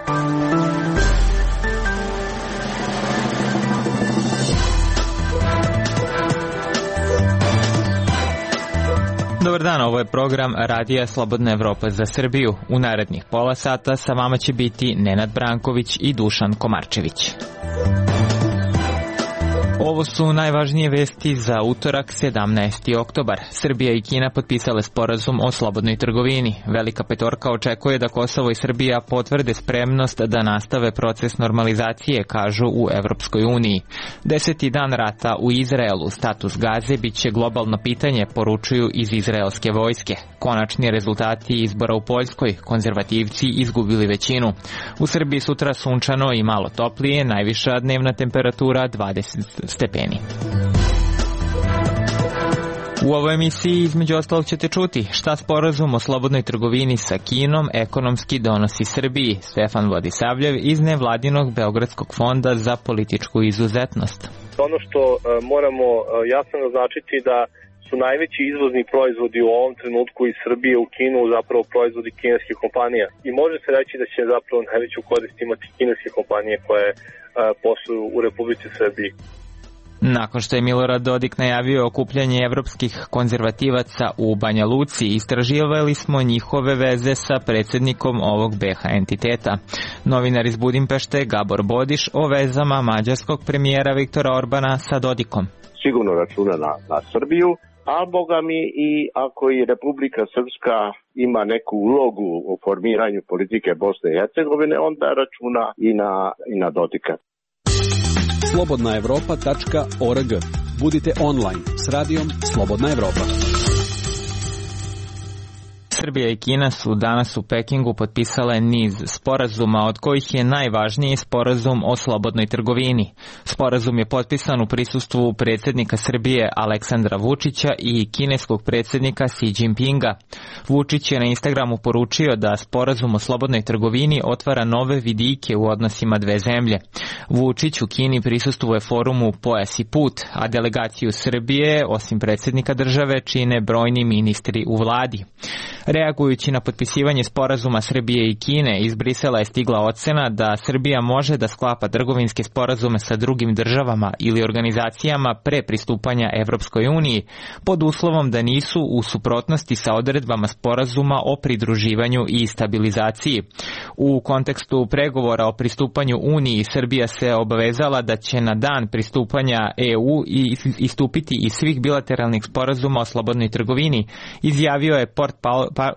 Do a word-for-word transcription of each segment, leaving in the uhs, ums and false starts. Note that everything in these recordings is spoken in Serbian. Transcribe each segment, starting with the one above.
Dobar dan, ovo je program Radija Slobodna Evropa za Srbiju. U narednih pola sata sa vama će biti Nenad Branković i Dušan Komarčević. Ovo su najvažnije vesti za utorak, sedamnaesti oktobar. Srbija i Kina potpisale sporazum o slobodnoj trgovini. Velika petorka očekuje da Kosovo i Srbija potvrde spremnost da nastave proces normalizacije, kažu u Evropskoj uniji. Deseti dan rata u Izraelu, status Gaze biće globalno pitanje, poručuju iz izraelske vojske. Konačni rezultati izbora u Poljskoj, konzervativci izgubili većinu. U Srbiji sutra sunčano i malo toplije, najviša dnevna temperatura dvadeset stepeni. U ovoj emisiji između ostalog ćete čuti šta sporazum o slobodnoj trgovini sa Kinom ekonomski donosi Srbiji. Stefan Vladisavljev iz nevladinog Beogradskog fonda za političku izuzetnost. Ono što uh, moramo uh, jasno naznačiti da su najveći izvozni proizvodi u ovom trenutku iz Srbije u Kinu zapravo proizvodi kineskih kompanija. I može se reći da će zapravo najveću korist imati kineske kompanije koje uh, posluju u Republici Srbiji. Nakon što je Milorad Dodik najavio okupljanje evropskih konzervativaca u Banja Luci, istraživali smo njihove veze sa predsjednikom ovog be ha entiteta. Novinar iz Budimpešte Gabor Bodiš o vezama mađarskog premijera Viktora Orbana sa Dodikom. Sigurno računa na, na Srbiju, a boga mi i ako i Republika Srpska ima neku ulogu u formiranju politike Bosne i Hercegovine, onda računa i na, i na Dodika. slobodna evropa tačka org. Budite online s radijom Slobodna Evropa. Srbija i Kina su danas u Pekingu potpisale niz sporazuma, od kojih je najvažniji sporazum o slobodnoj trgovini. Sporazum je potpisan u prisustvu predsjednika Srbije Aleksandra Vučića i kineskog predsjednika Xi Jinpinga. Vučić je na Instagramu poručio da sporazum o slobodnoj trgovini otvara nove vidike u odnosima dve zemlje. Vučić u Kini prisustvuje forumu Pojas i put, a delegaciju Srbije, osim predsjednika države, čine brojni ministri u vladi. Reagujući na potpisivanje sporazuma Srbije i Kine, iz Brisela je stigla ocena da Srbija može da sklapa trgovinske sporazume sa drugim državama ili organizacijama pre pristupanja Evropskoj uniji, pod uslovom da nisu u suprotnosti sa odredbama sporazuma o pridruživanju i stabilizaciji. U kontekstu pregovora o pristupanju Uniji, Srbija se obavezala da će na dan pristupanja e u istupiti iz svih bilateralnih sporazuma o slobodnoj trgovini, izjavio je port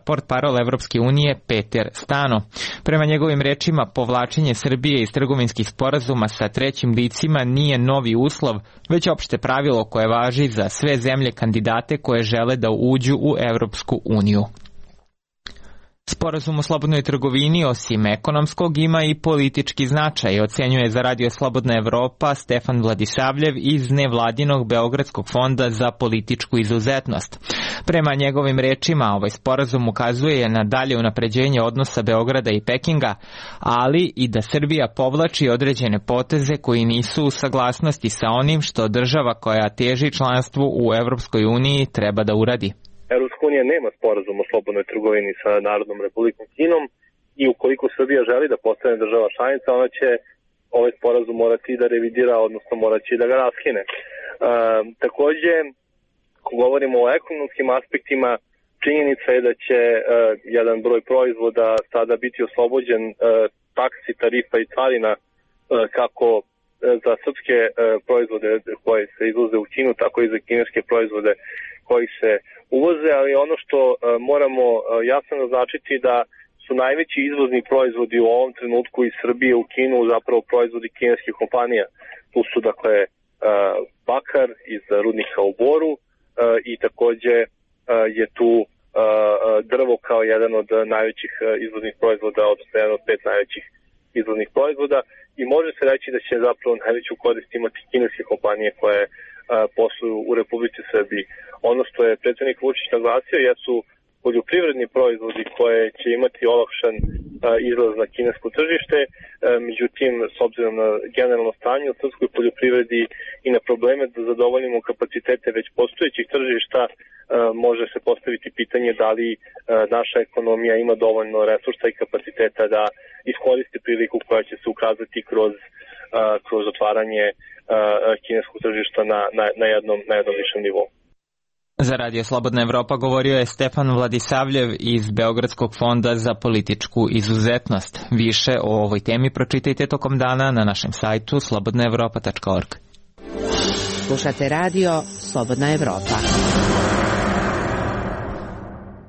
portparol Evropske unije Peter Stano. Prema njegovim rečima, povlačenje Srbije iz trgovinskih sporazuma sa trećim licima nije novi uslov, već opšte pravilo koje važi za sve zemlje kandidate koje žele da uđu u Evropsku uniju. Sporazum o slobodnoj trgovini, osim ekonomskog, ima i politički značaj, ocenjuje za Radio Slobodna Evropa Stefan Vladisavljev iz nevladinog Beogradskog fonda za političku izuzetnost. Prema njegovim rečima, ovaj sporazum ukazuje na dalje unapređenje odnosa Beograda i Pekinga, ali i da Srbija povlači određene poteze koji nisu u saglasnosti sa onim što država koja teži članstvu u Evropskoj uniji treba da uradi. Evropska unija nema sporazum o slobodnoj trgovini sa Narodnom Republikom Kinom i ukoliko Srbija želi da postane država članica, ona će ovaj sporazum morati da revidira, odnosno morat će da ga raskine. E, takođe, ako govorimo o ekonomskim aspektima, činjenica je da će e, jedan broj proizvoda sada biti oslobođen e, taksi, tarifa i carina e, kako e, za srpske e, proizvode koje se izvoze u Kinu, tako i za kineske proizvode koji se uvoze, ali ono što uh, moramo uh, jasno naznačiti da su najveći izvozni proizvodi u ovom trenutku iz Srbije u Kinu zapravo proizvodi kineskih kompanija. Tu su dakle uh, bakar iz rudnika u Boru uh, i takođe uh, je tu uh, drvo kao jedan od najvećih uh, izvoznih proizvoda, odnosno jedan od pet najvećih izvoznih proizvoda i može se reći da će zapravo najveću korist imati kineske kompanije koje posluju u Republici Srbiji. Ono što je predsjednik Vučić naglasio jesu poljoprivredni proizvodi koje će imati olakšan izlaz na kinesko tržište, međutim, s obzirom na generalno stanje u srpskoj poljoprivredi i na probleme da zadovoljimo kapacitete već postojećih tržišta, može se postaviti pitanje da li naša ekonomija ima dovoljno resursa i kapaciteta da iskoristi priliku koja će se ukazati kroz, kroz otvaranje kineskog tržišta na, na, na, jednom, na jednom višem nivou. Za Radio Slobodna Evropa govorio je Stefan Vladisavljev iz Beogradskog fonda za političku izuzetnost. Više o ovoj temi pročitajte tokom dana na našem sajtu slobodna evropa tačka org. Slušate radio Slobodna Evropa.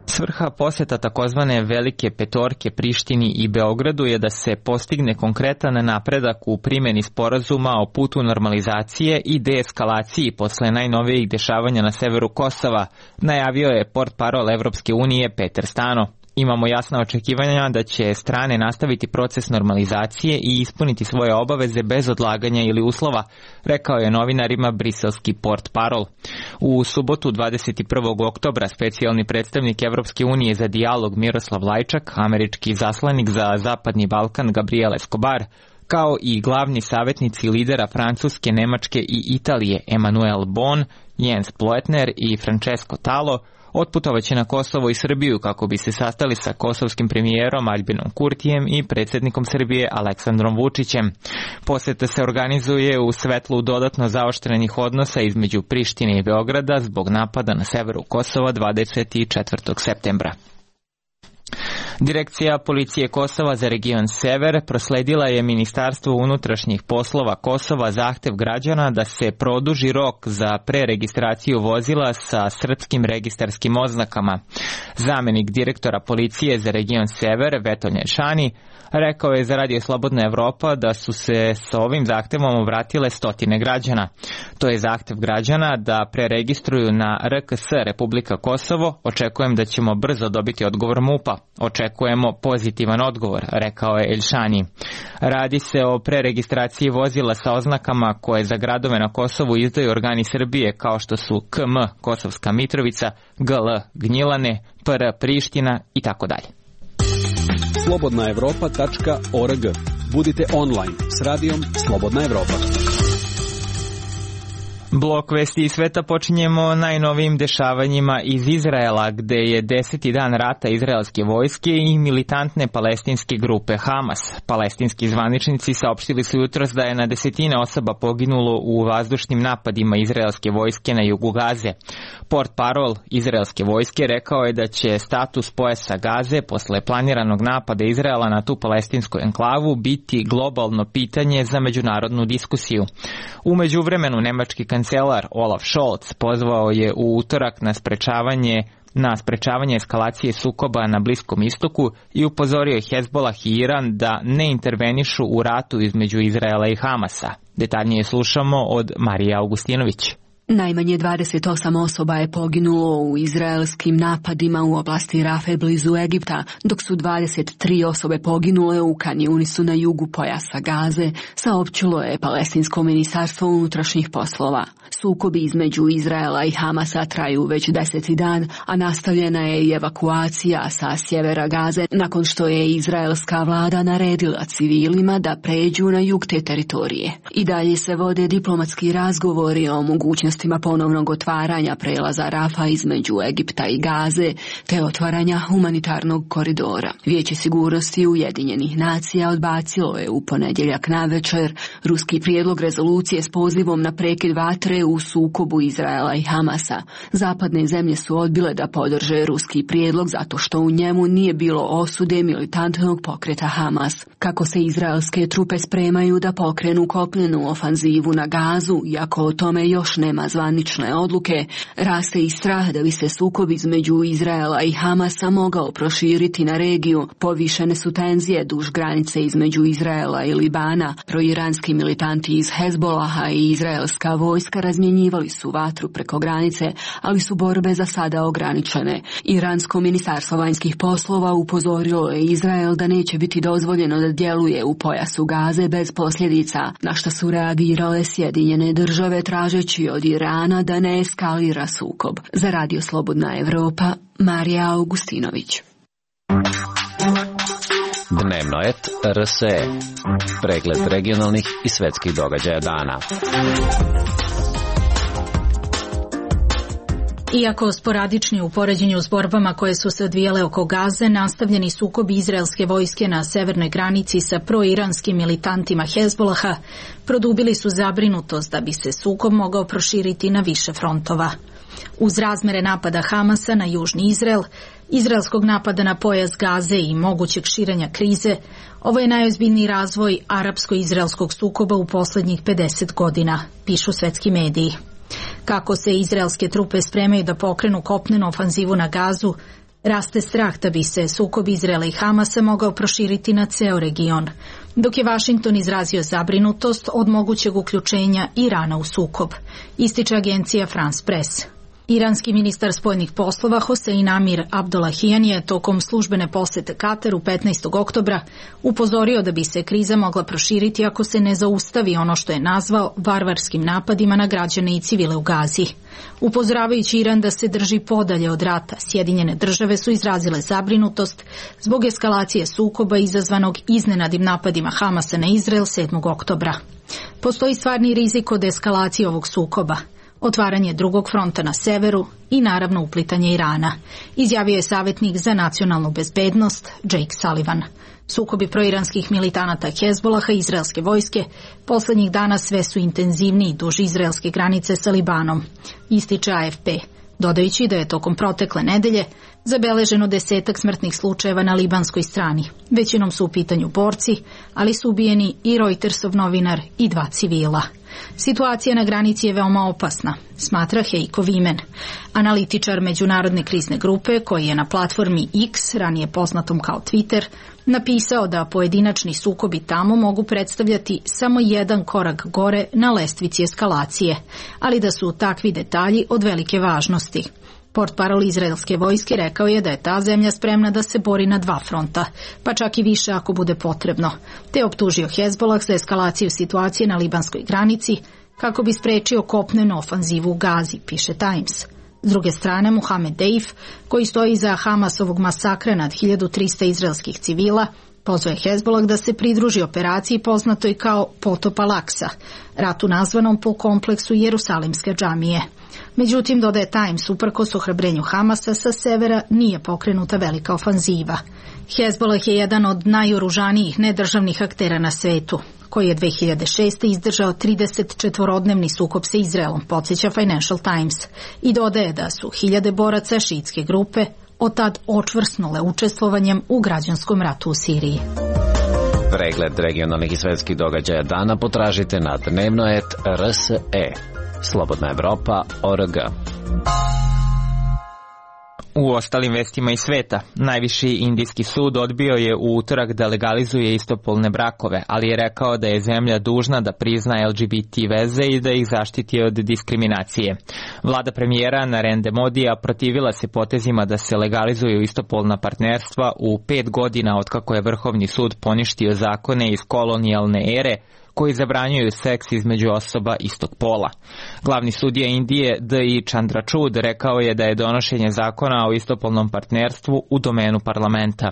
Svrha poseta takozvane Velike petorke Prištini i Beogradu je da se postigne konkretan napredak u primjeni sporazuma o putu normalizacije i deeskalaciji posle najnovijih dešavanja na severu Kosova, najavio je portparol Evropske unije Peter Stano. Imamo jasna očekivanja da će strane nastaviti proces normalizacije i ispuniti svoje obaveze bez odlaganja ili uslova, rekao je novinarima briselski portparol. U subotu dvadeset prvog oktobra specijalni predstavnik Evropske unije za dijalog Miroslav Lajčak, američki zaslanik za Zapadni Balkan Gabriel Escobar, kao i glavni savjetnici lidera Francuske, Nemačke i Italije Emmanuel Bon, Jens Ploetner i Francesco Talo, otputovaće na Kosovo i Srbiju kako bi se sastali sa kosovskim premijerom Aljbinom Kurtijem i predsjednikom Srbije Aleksandrom Vučićem. Poseta se organizuje u svetlu dodatno zaoštrenih odnosa između Prištine i Beograda zbog napada na severu Kosova dvadeset četvrtog septembra. Direkcija policije Kosova za region Sever prosledila je Ministarstvu unutrašnjih poslova Kosova zahtev građana da se produži rok za preregistraciju vozila sa srpskim registarskim oznakama. Zamenik direktora policije za region Sever, Vetolje Šani, rekao je za Radio Slobodna Evropa da su se sa ovim zahtevom obratile stotine građana. To je zahtev građana da preregistruju na R K S Republika Kosovo. Očekujem da ćemo brzo dobiti odgovor M U P-a. Očekujemo pozitivan odgovor, rekao je Elšani. Radi se o preregistraciji vozila sa oznakama koje za gradove na Kosovu izdaju organi Srbije kao što su K M Kosovska Mitrovica, G L Gnjilane, P R Priština i tako dalje. slobodna evropa tačka org. Budite online s radijom Slobodna Evropa. Blok vesti iz sveta počinjemo najnovijim dešavanjima iz Izraela, gde je deseti dan rata izraelske vojske i militantne palestinske grupe Hamas. Palestinski zvaničnici saopštili su jutros da je na desetine osoba poginulo u vazdušnim napadima izraelske vojske na jugu Gaze. Portparol izraelske vojske rekao je da će status pojasa Gaze posle planiranog napada Izraela na tu palestinsku enklavu biti globalno pitanje za međunarodnu diskusiju. U međuvremenu nemački kancelar Olaf Scholz pozvao je u utorak na sprečavanje na sprečavanje eskalacije sukoba na Bliskom istoku i upozorio je Hezbolah i Iran da ne intervenišu u ratu između Izraela i Hamasa. Detaljnije slušamo od Marije Augustinović. Najmanje dvadeset osam osoba je poginulo u izraelskim napadima u oblasti Rafe blizu Egipta, dok su dvadeset tri osobe poginule u Kan Junisu na jugu pojasa Gaze, saopćilo je Palestinsko ministarstvo unutrašnjih poslova. Sukobi između Izraela i Hamasa traju već deseti dan, a nastavljena je i evakuacija sa sjevera Gaze nakon što je izraelska vlada naredila civilima da pređu na jug te teritorije. I dalje se vode diplomatski razgovori o mogućnostima ponovnog otvaranja prelaza Rafa između Egipta i Gaze, te otvaranja humanitarnog koridora. Vijeće sigurnosti Ujedinjenih nacija odbacilo je u ponedjeljak navečer ruski prijedlog rezolucije s pozivom na prekid vatre u sukobu Izraela i Hamasa. Zapadne zemlje su odbile da podrže ruski prijedlog zato što u njemu nije bilo osude militantnog pokreta Hamas. Kako se izraelske trupe spremaju da pokrenu kopnenu ofanzivu na Gazu, iako o tome još nema zvanične odluke, raste i strah da bi se sukob između Izraela i Hamasa mogao proširiti na regiju. Povišene su tenzije duž granice između Izraela i Libana. Proiranski militanti iz Hezbolaha i izraelska vojska razmjenjivali su vatru preko granice, ali su borbe za sada ograničene. Iransko ministarstvo vanjskih poslova upozorilo je Izrael da neće biti dozvoljeno da djeluje u pojasu Gaze bez posljedica, na što su reagirale Sjedinjene države tražeći od Irana da ne eskalira sukob. Za Radio Slobodna Evropa, Marija Augustinović. Dnevno et R S E. Pregled regionalnih i svetskih događaja dana. Iako sporadični u poređenju s borbama koje su se odvijale oko Gaze, nastavljeni sukobi izraelske vojske na severnoj granici sa proiranskim militantima Hezbolaha produbili su zabrinutost da bi se sukob mogao proširiti na više frontova. Uz razmere napada Hamasa na južni Izrael, izraelskog napada na pojas Gaze i mogućeg širenja krize, ovo je najozbiljniji razvoj arapsko-izraelskog sukoba u poslednjih pedeset godina, pišu svetski mediji. Kako se izraelske trupe spremaju da pokrenu kopnenu ofanzivu na Gazu, raste strah da bi se sukob Izraela i Hamasa mogao proširiti na ceo region, dok je Vašington izrazio zabrinutost od mogućeg uključenja Irana u sukob, ističe agencija France Press. Iranski ministar spoljnih poslova Hosein Amir Abdollahian je tokom službene posete Kataru petnaestog oktobra upozorio da bi se kriza mogla proširiti ako se ne zaustavi ono što je nazvao varvarskim napadima na građane i civile u Gazi. Upozoravajući Iran da se drži podalje od rata, Sjedinjene države su izrazile zabrinutost zbog eskalacije sukoba izazvanog iznenadnim napadima Hamasa na Izrael sedmog oktobra. Postoji stvarni rizik od eskalacije ovog sukoba, otvaranje drugog fronta na severu i naravno uplitanje Irana, izjavio je savjetnik za nacionalnu bezbednost Jake Sullivan. Sukobi proiranskih militanata Hezbolaha i izraelske vojske poslednjih dana sve su intenzivniji duž izraelske granice sa Libanom, ističe A F P, dodajući da je tokom protekle nedelje zabeleženo desetak smrtnih slučajeva na libanskoj strani. Većinom su u pitanju borci, ali su ubijeni i Reutersov novinar i dva civila. Situacija na granici je veoma opasna, smatra Heiko Vimen, analitičar međunarodne krizne grupe koji je na platformi X, ranije poznatom kao Twitter, napisao da pojedinačni sukobi tamo mogu predstavljati samo jedan korak gore na lestvici eskalacije, ali da su takvi detalji od velike važnosti. Portparol izraelske vojske rekao je da je ta zemlja spremna da se bori na dva fronta, pa čak i više ako bude potrebno, te optužio Hezbolah za eskalaciju situacije na libanskoj granici kako bi sprečio kopnenu ofanzivu u Gazi, piše Times. S druge strane, Mohamed Deif, koji stoji iza Hamasovog masakra nad hiljadu trista izraelskih civila, pozvao je Hezbolah da se pridruži operaciji poznatoj kao Potop Al-Aksa, ratu nazvanom po kompleksu Jerusalimske džamije. Međutim, dodaje Times, uprkos ohrabrenju Hamasa, sa severa nije pokrenuta velika ofanziva. Hezbolah je jedan od najoružanijih nedržavnih aktera na svetu, koji je dve hiljade šeste. izdržao trideset četvorodnevni sukob sa Izraelom, podsjeća Financial Times, i dodaje da su hiljade boraca šiitske grupe od tad očvrsnule učestvovanjem u građanskom ratu u Siriji. Pregled regionalnih i svetskih događaja dana potražite na dnevno et R S E. Slobodna Evropa, O R G. U ostalim vestima iz sveta, najviši indijski sud odbio je u utorak da legalizuje istopolne brakove, ali je rekao da je zemlja dužna da prizna L G B T veze i da ih zaštiti od diskriminacije. Vlada premijera Narendra Modija protivila se potezima da se legalizuju istopolna partnerstva u pet godina otkako je Vrhovni sud poništio zakone iz kolonijalne ere koji zabranjuju seks između osoba istog pola. Glavni sudija Indije D I Chandrachud rekao je da je donošenje zakona o istopolnom partnerstvu u domenu parlamenta.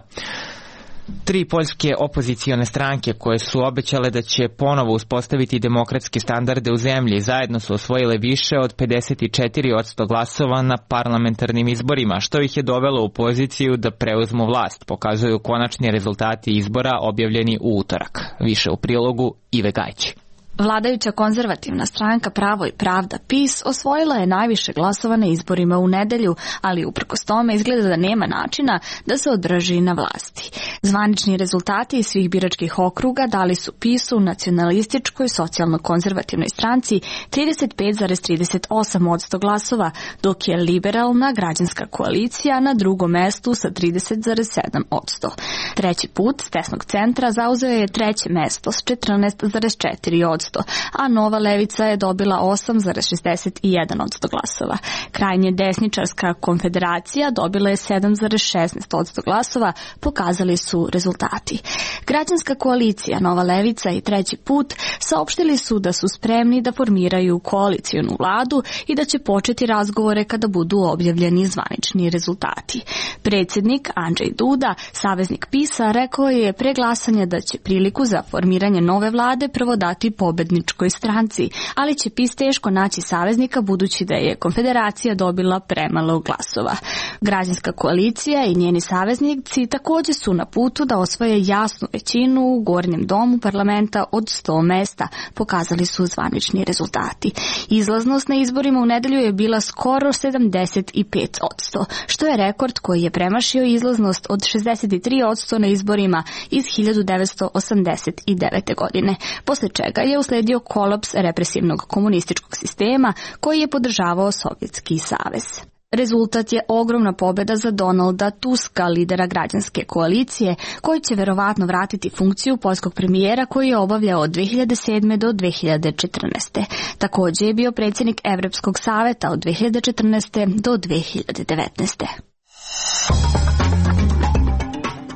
Tri poljske opozicione stranke koje su obećale da će ponovo uspostaviti demokratske standarde u zemlji zajedno su osvojile više od pedeset četiri posto glasova na parlamentarnim izborima, što ih je dovelo u poziciju da preuzmu vlast, pokazuju konačni rezultati izbora objavljeni u utorak. Više u prilogu Ive Gajći. Vladajuća konzervativna stranka Pravo i pravda P I S osvojila je najviše glasova na izborima u nedelju, ali uprkos tome izgleda da nema načina da se održi na vlasti. Zvanični rezultati iz svih biračkih okruga dali su P I S-u, nacionalističkoj socijalno-konzervativnoj stranci, trideset pet zarez trideset osam posto glasova, dok je liberalna građanska koalicija na drugom mestu sa trideset zarez sedam posto. Treći put s desnog centra zauzeo je treće mesto s četrnaest zarez četiri posto, a Nova levica je dobila osam zarez šezdeset jedan posto glasova. Krajnje desničarska konfederacija dobila je sedam zarez šesnaest posto glasova, pokazali su rezultati. Građanska koalicija Nova levica i Treći put saopštili su da su spremni da formiraju koalicionu vladu i da će početi razgovore kada budu objavljeni zvanični rezultati. Predsjednik Andrzej Duda, saveznik PiS-a, rekao je pre glasanja da će priliku za formiranje nove vlade prvo dati pobedničkoj stranci, ali će PiS teško naći saveznika budući da je konfederacija dobila premalo glasova. Građanska koalicija i njeni saveznici također su na putu da osvoje jasnu većinu u gornjem domu parlamenta od sto mesta, pokazali su zvanični rezultati. Izlaznost na izborima u nedelju je bila skoro sedamdeset pet posto, što je rekord koji je premašio izlaznost od šezdeset tri posto na izborima iz hiljadu devetsto osamdeset devete. godine, posle čega je usledio kolaps represivnog komunističkog sistema koji je podržavao Sovjetski savez. Rezultat je ogromna pobjeda za Donalda Tuska, lidera građanske koalicije, koji će verovatno vratiti funkciju poljskog premijera koji je obavljao od dve hiljade sedme do dve hiljade četrnaeste. Također je bio predsjednik Evropskog saveta od dve hiljade četrnaeste do dve hiljade devetnaeste.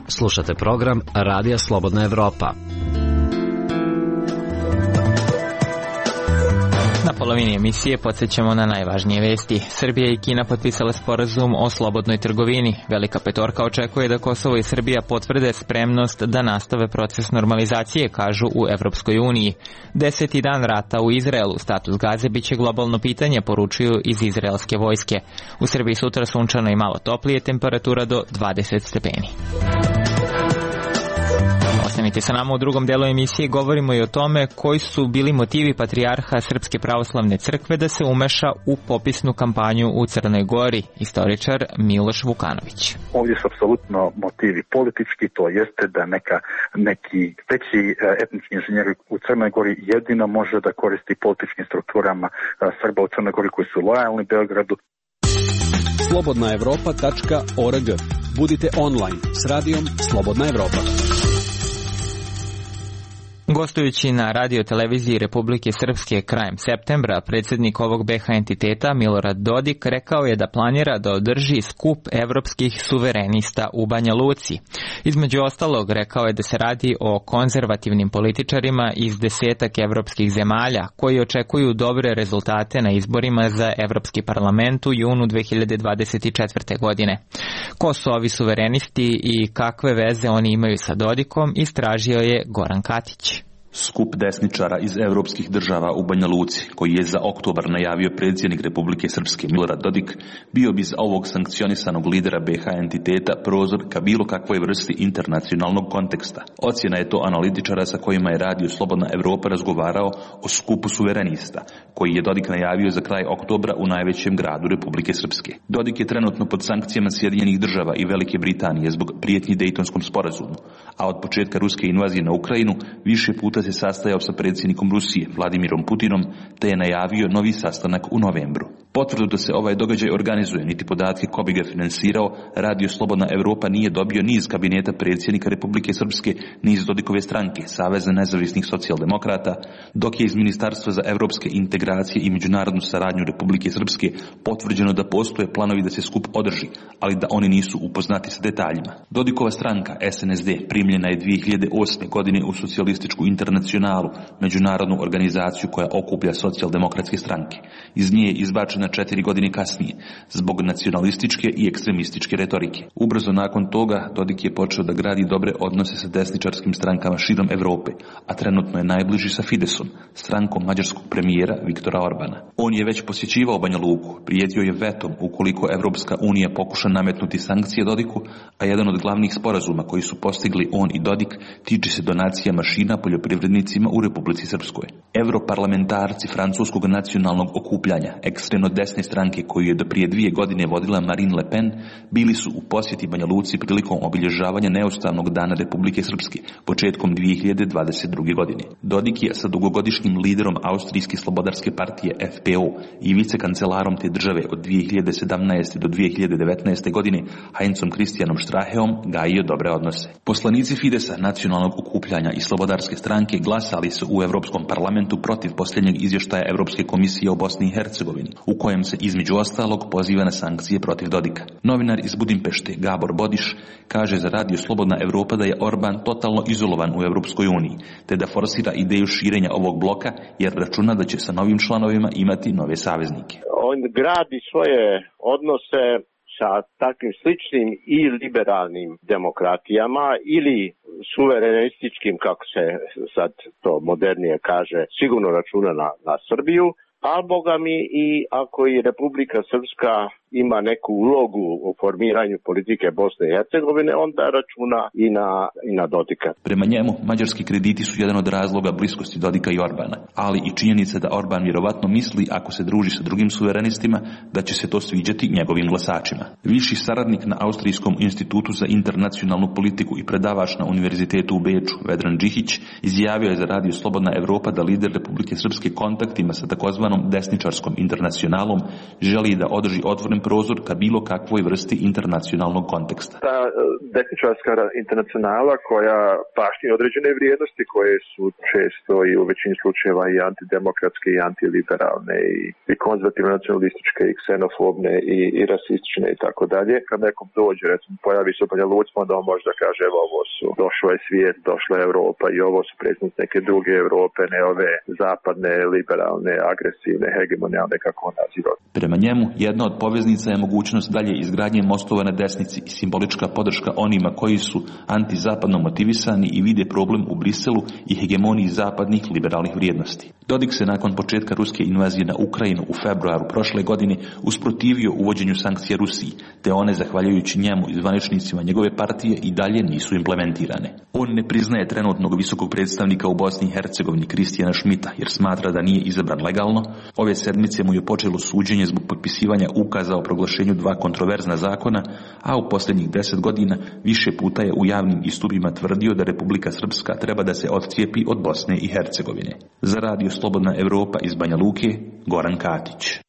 Slušate program Radija Slobodna Evropa. Na polovini emisije podsjećamo na najvažnije vesti. Srbija i Kina potpisale sporazum o slobodnoj trgovini. Velika petorka očekuje da Kosovo i Srbija potvrde spremnost da nastave proces normalizacije, kažu u Evropskoj uniji. Deseti dan rata u Izraelu, status Gaze biće globalno pitanje, poručuju iz izraelske vojske. U Srbiji sutra sunčano i malo toplije, temperatura do dvadeset stepeni. Ostanite sa nama u drugom delu emisije, govorimo i o tome koji su bili motivi patrijarha Srpske pravoslavne crkve da se umeša u popisnu kampanju u Crnoj Gori, istoričar Miloš Vukanović. Ovdje su apsolutno motivi politički, to jeste da neka, neki veći etnički inženjer u Crnoj Gori jedino može da koristi političkim strukturama Srba u Crnoj Gori koji su lojalni Beogradu. slobodna evropa tačka org. Budite online s radijom Slobodna Evropa. Gostujući na radio televiziji Republike Srpske krajem septembra, predsjednik ovog be ha entiteta Milorad Dodik rekao je da planira da održi skup evropskih suverenista u Banja Luci. Između ostalog, rekao je da se radi o konzervativnim političarima iz desetak evropskih zemalja koji očekuju dobre rezultate na izborima za Evropski parlament u junu dve hiljade dvadeset četvrte. godine. Ko su ovi suverenisti i kakve veze oni imaju sa Dodikom, istražio je Goran Katić. Skup desničara iz evropskih država u Banja Luci, koji je za oktobar najavio predsjednik Republike Srpske Milorad Dodik, bio bi za ovog sankcionisanog lidera be ha entiteta prozor ka bilo kakvoj vrsti internacionalnog konteksta. Ocjena je to analitičara sa kojima je radio Slobodna Evropa razgovarao o skupu suverenista, koji je Dodik najavio za kraj oktobra u najvećem gradu Republike Srpske. Dodik je trenutno pod sankcijama Sjedinjenih država i Velike Britanije zbog prijetnji Dejtonskom sporazumu, a od početka ruske invazije na Ukrajinu više puta se sastajao sa predsjednikom Rusije, Vladimirom Putinom, te je najavio novi sastanak u novembru. Potvrdu da se ovaj događaj organizuje, niti podatke ko bi ga finansirao, Radio Slobodna Evropa nije dobio ni iz kabineta predsjednika Republike Srpske, ni iz Dodikove stranke, Saveza nezavisnih socijaldemokrata, dok je iz Ministarstva za evropske integracije i međunarodnu saradnju Republike Srpske potvrđeno da postoje planovi da se skup održi, ali da oni nisu upoznati sa detaljima. Dodikova stranka es en es de primljena je dvije hiljade osme. godine u socijalističku internacionalu, međunarodnu organizaciju koja okuplja socijaldemokratske stranke. Iz nje je izbačena četiri godine kasnije, zbog nacionalističke i ekstremističke retorike. Ubrzo nakon toga Dodik je počeo da gradi dobre odnose sa desničarskim strankama širom Evrope, a trenutno je najbliži sa Fidesom, strankom mađarskog premijera Viktora Orbana. On je već posjećivao Banja Luku, prijetio je vetom ukoliko Evropska unija pokuša nametnuti sankcije Dodiku, a jedan od glavnih sporazuma koji su postigli on i Dodik tiče se donacija mašina poljoprivrednih poljoprivrednicima u Republici Srpskoj. Europarlamentarci francuskog nacionalnog okupljanja, ekstremno desne stranke koju je do prije dvije godine vodila Marine Le Pen, bili su u posjeti Banja Luci prilikom obilježavanja neustavnog dana Republike Srpske početkom dvije hiljade dvadeset druge. godine. Dodik je sa dugogodišnjim liderom Austrijske slobodarske partije F P O i vicekancelarom te države od dvije hiljade sedamnaeste. do dvije hiljade devetnaeste. godine Heinzom Christianom Straheom gajio dobre odnose. Poslanici Fidesa, nacionalnog okupljanja i slobodarske stranke glasali su u Europskom parlamentu protiv posljednjeg izvještaja Europske komisije o Bosni i Hercegovini, u kojem se između ostalog poziva na sankcije protiv Dodika. Novinar iz Budimpešte Gabor Bodiš kaže za radio Slobodna Evropa da je Orban totalno izolovan u Europskoj uniji, te da forsira ideju širenja ovog bloka jer računa da će sa novim članovima imati nove saveznike. On gradi svoje odnose sa takvim sličnim i liberalnim demokratijama ili suverenističkim, kako se sad to modernije kaže, sigurno računa na, na Srbiju, a boga mi i ako i Republika Srpska ima neku ulogu u formiranju politike Bosne i Hercegovine, onda računa i na, i na Dodika. Prema njemu, mađarski krediti su jedan od razloga bliskosti Dodika i Orbana, ali i činjenica da Orban vjerovatno misli, ako se druži sa drugim suverenistima, da će se to sviđati njegovim glasačima. Viši saradnik na Austrijskom institutu za internacionalnu politiku i predavač na univerzitetu u Beču, Vedran Džihić, izjavio je za radio Slobodna Evropa da lider Republike Srpske kontaktima sa takozvanom desničarskom internacionalom želi da održi otvoren prozor ka bilo kakvoj vrsti internacionalnog konteksta. Ta desničarska internacionala koja baštini određene vrijednosti koje su često i u većini slučajeva i antidemokratske i antiliberalne i, i konzervativno nacionalističke i ksenofobne i, i rasistične i tako dalje. Kad nekom dođe, recimo pojavi se u Banja Luci, onda on može da kaže evo ovo su, došlo je svijet, došla je Evropa i ovo su predstavnici neke druge Evrope, ne ove zapadne, liberalne, agresivne, hegemonijalne, kako on naziva. Prema njemu, jedna od poveznica je mogućnost dalje izgradnje mostova na desnici i simbolička podrška onima koji su antizapadno motivisani i vide problem u Briselu i hegemoniji zapadnih liberalnih vrijednosti. Dodik se nakon početka ruske invazije na Ukrajinu u februaru prošle godine usprotivio uvođenju sankcija Rusiji, te one, zahvaljujući njemu i zvaničnicima njegove partije, i dalje nisu implementirane. On ne priznaje trenutnog visokog predstavnika u Bosni i Hercegovini Kristijana Šmita, jer smatra da nije izabran legalno. Ove sedmice mu je počelo suđenje zbog potpisivanja ukaza o proglašenju dva kontroverzna zakona, a u posljednjih deset godina više puta je u javnim istupima tvrdio da Republika Srpska treba da se odcijepi od Bosne i Hercegovine. Za radio Slobodna Evropa iz Banja Luke, Goran Katić.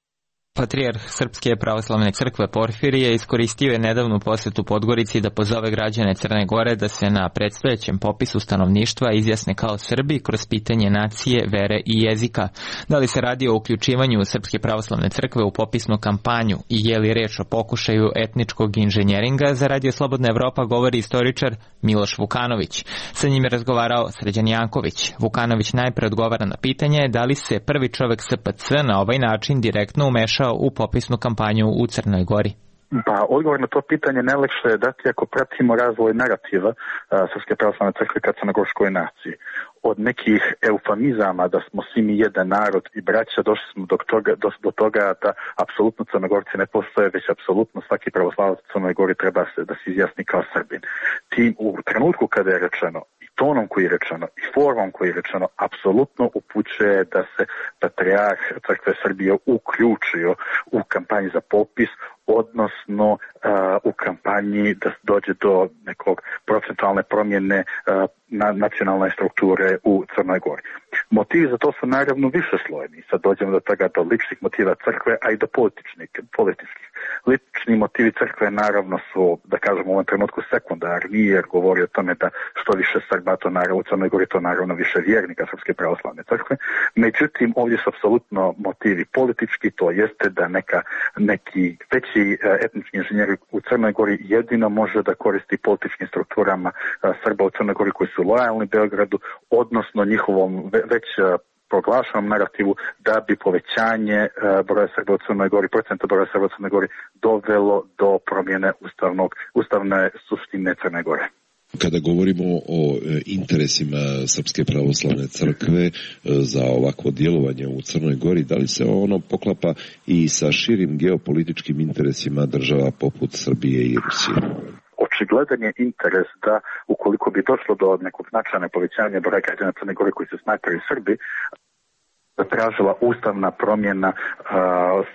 Patrijarh Srpske pravoslavne crkve Porfirije iskoristio je nedavnu posjetu Podgorici da pozove građane Crne Gore da se na predstojećem popisu stanovništva izjasne kao Srbi kroz pitanje nacije, vere i jezika. Da li se radi o uključivanju Srpske pravoslavne crkve u popisnu kampanju i je li reč o pokušaju etničkog inženjeringa, za radio Slobodna Evropa govori istoričar Miloš Vukanović. Sa njim je razgovarao Sređan Janković. Vukanović najpre odgovara na pitanje da li se prvi čovek S P C na ovaj način direktno umešao u popisnu kampanju u Crnoj Gori. Pa, odgovor na to pitanje najlakše je dati ako pratimo razvoj narativa uh, Srpske pravoslavne crkve ka crnogorskoj naciji. Od nekih eufemizama da smo svi mi jedan narod i braća došli smo do toga, do, do toga da apsolutno Crnogorci ne postoje, već apsolutno svaki pravoslavac u Crnoj Gori treba se, da se izjasni kao Srbin. Tim u trenutku kada je rečeno i tonom koji je rečeno i formom koji je rečeno apsolutno upućuje da se patrijarh Crkve Srbije uključio u kampanji za popis, odnosno uh, u kampanji da dođe do nekog procentualne promjene uh, na nacionalne strukture u Crnoj Gori. Motivi za to su naravno više slojeni. Sad dođemo do toga do ličnih motiva crkve, a i do političnih, političkih. Lični motivi crkve naravno su, da kažemo u ovom trenutku, sekundarni, jer govori o tome da što više Srba, to naravno u Crnoj Gori, to naravno više vjernika Srpske pravoslavne crkve. Međutim, ovdje su apsolutno motivi politički, to jeste da neka, neki veći etnički inženjer u Crnoj Gori jedino može da koristi političkim strukturama Srba u Crnoj Gori koji su lojalni Beogradu, odnosno njihovom već proglašenom narativu da bi povećanje broja Srba u Crnoj Gori, procenta broja Srba u Crnoj Gori dovelo do promjene ustavnog, ustavne suštine Crne Gore. Kada govorimo o interesima Srpske pravoslavne crkve za ovakvo djelovanje u Crnoj Gori, da li se ono poklapa i sa širim geopolitičkim interesima država poput Srbije i Rusije? Očigledan je interes da ukoliko ukoliko bi došlo do nekog značajnog povećanja broja građana Crne Gore koji se smatraju Srbi, tražila ustavna promjena uh,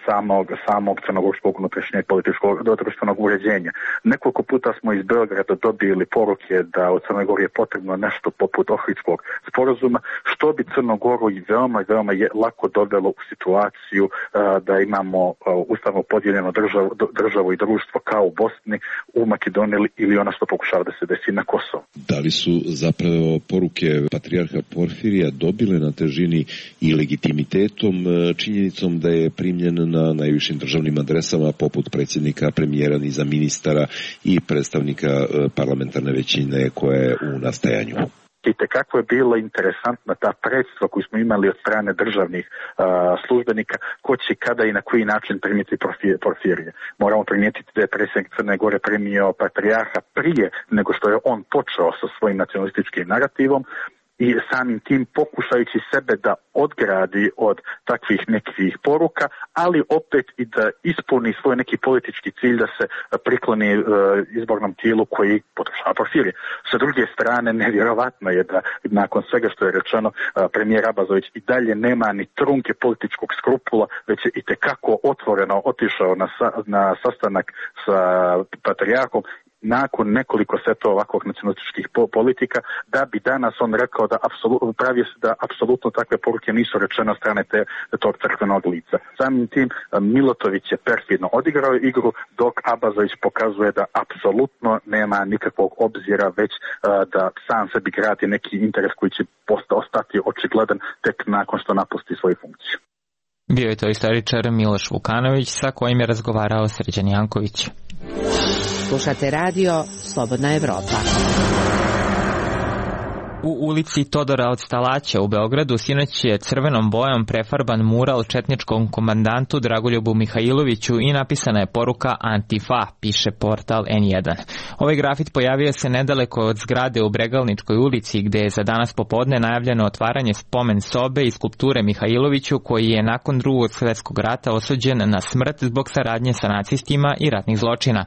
samog, samog crnogorskog unutrašnjeg političkog društvenog uređenja. Nekoliko puta smo iz Beograda dobili poruke da u Crnoj Gori je potrebno nešto poput Ohridskog sporazuma, što bi Crnogoru i veoma, veoma je lako dovelo u situaciju uh, da imamo uh, ustavno podijeljeno državu, državu i društvo kao u Bosni, u Makedoniji ili ono što pokušava da se desi na Kosovu. Da li su zapravo poruke patrijarha Porfirija dobile na težini i legitimitetom, činjenicom da je primljen na najvišim državnim adresama poput predsjednika, premijera, niza ministara i predstavnika parlamentarne većine koja je u nastajanju? I tekako je bila interesantna ta predstva koju smo imali od strane državnih uh, službenika, ko će kada i na koji način primiti Porfirije. Moramo primijetiti da je predsjednik Crne Gore primio patrijarha prije nego što je on počeo sa svojim nacionalističkim narativom, i samim tim pokušajući sebe da odgradi od takvih nekih poruka, ali opet i da ispuni svoj neki politički cilj da se prikloni uh, izbornom tijelu koji podržava Porfirije. Sa druge strane, nevjerovatno je da nakon svega što je rečeno, uh, premijer Abazović i dalje nema ni trunke političkog skrupula, već je itekako otvoreno otišao na, sa, na sastanak sa patrijarhom nakon nekoliko setova ovakvog nacionalističkih politika, da bi danas on rekao da apsolutno pravi se da apsolutno takve poruke nisu rečene od strane te, tog crkvenog lica. Samim tim Milotović je perfidno odigrao igru, dok Abazović pokazuje da apsolutno nema nikakvog obzira, već uh, da sam sebi gradi neki interes koji će ostati očigledan tek nakon što napusti svoju funkciju. Bio je to istoričar Miloš Vukanović sa kojim je razgovarao Srđan Janković. Slušate radio Slobodna Evropa. U ulici Todora od Stalaća u Beogradu sinoć je crvenom bojom prefarban mural četničkom komandantu Dragoljubu Mihajloviću i napisana je poruka Antifa, piše portal en jedan. Ovaj grafit pojavio se nedaleko od zgrade u Bregalničkoj ulici, gde je za danas popodne najavljeno otvaranje spomen sobe i skulpture Mihajloviću, koji je nakon Drugog svjetskog rata osuđen na smrt zbog saradnje sa nacistima i ratnih zločina.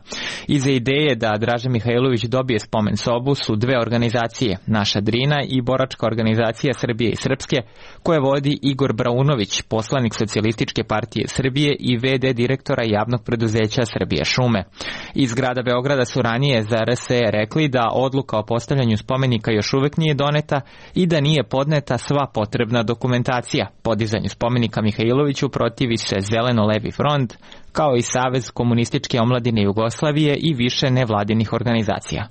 Iza ideje da Draža Mihajlović dobije spomen sobu su dve organizacije, Naša Drina i boračka organizacija Srbije i Srpske, koje vodi Igor Braunović, poslanik Socijalističke partije Srbije i ve de direktora javnog preduzeća Srbije šume. Iz grada Beograda su ranije za er es e rekli da odluka o postavljanju spomenika još uvek nije doneta i da nije podneta sva potrebna dokumentacija. Podizanju spomenika Mihajloviću protivi se Zeleno-levi front, kao i Savez komunističke omladine Jugoslavije i više nevladinih organizacija.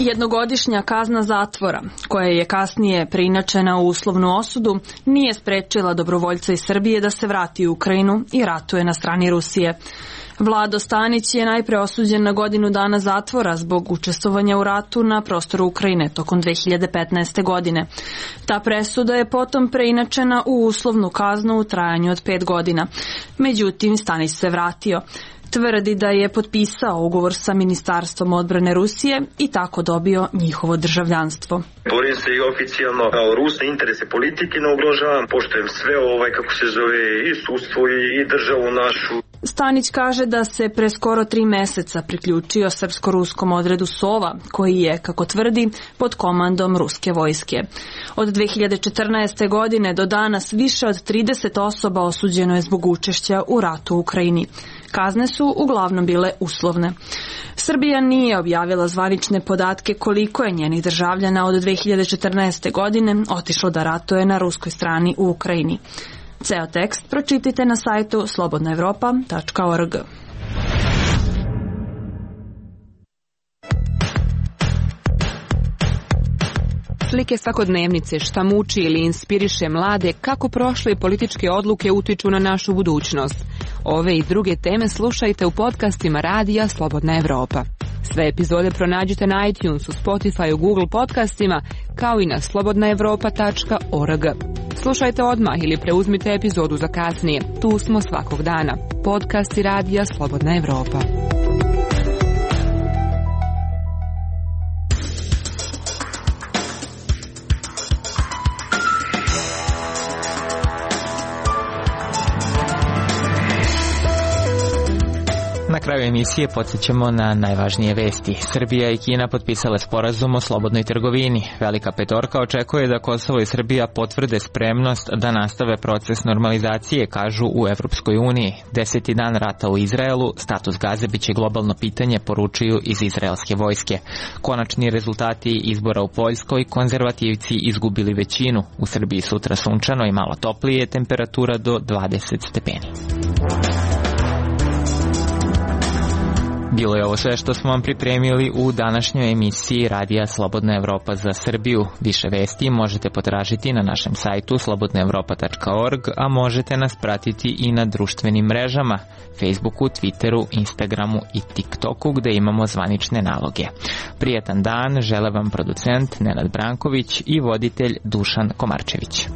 Jednogodišnja kazna zatvora, koja je kasnije preinačena u uslovnu osudu, nije sprečila dobrovoljca iz Srbije da se vrati u Ukrajinu i ratuje na strani Rusije. Vlado Stanić je najpre osuđen na godinu dana zatvora zbog učestvovanja u ratu na prostoru Ukrajine tokom dve hiljade petnaeste. godine. Ta presuda je potom preinačena u uslovnu kaznu u trajanju od pet godina. Međutim, Stanić se vratio. Tvrdi da je potpisao ugovor sa Ministarstvom odbrane Rusije i tako dobio njihovo državljanstvo. Borim se i oficijalno kao Rus, interese politike ne ugrožavam, poštujem sve ovaj, kako se zove, i sudstvo i, i državu našu. Stanić kaže da se pre skoro tri meseca priključio srpsko-ruskom odredu Sova, koji je, kako tvrdi, pod komandom ruske vojske. Od dve hiljade četrnaeste. godine do danas više od trideset osoba osuđeno je zbog učešća u ratu u Ukrajini. Kazne su uglavnom bile uslovne. Srbija nije objavila zvanične podatke koliko je njenih državljana od dve hiljade četrnaeste. godine otišlo da ratuje na ruskoj strani u Ukrajini. Ceo tekst pročitajte na sajtu slobodna evropa tačka org. Slike svakodnevnice, šta muči ili inspiriše mlade, kako prošle političke odluke utiču na našu budućnost. Ove i druge teme slušajte u podcastima radija Slobodna Evropa. Sve epizode pronađite na iTunesu, Spotify, Google podcastima, kao i na slobodna evropa tačka org. Slušajte odmah ili preuzmite epizodu za kasnije. Tu smo svakog dana. Podcasti radija Slobodna Evropa. Na kraju emisije podsjećamo na najvažnije vesti. Srbija i Kina potpisale sporazum o slobodnoj trgovini. Velika petorka očekuje da Kosovo i Srbija potvrde spremnost da nastave proces normalizacije, kažu u Evropskoj uniji. Deseti dan rata u Izraelu, status Gaze biće globalno pitanje, poručuju iz izraelske vojske. Konačni rezultati izbora u Poljskoj, konzervativci izgubili većinu. U Srbiji sutra sunčano i malo toplije, temperatura do dvadeset stepeni. Bilo je ovo sve što smo vam pripremili u današnjoj emisiji Radija Slobodna Evropa za Srbiju. Više vesti možete potražiti na našem sajtu slobodna evropa tačka org, a možete nas pratiti i na društvenim mrežama, Facebooku, Twitteru, Instagramu i TikToku, gde imamo zvanične naloge. Prijetan dan žele vam producent Nenad Branković i voditelj Dušan Komarčević.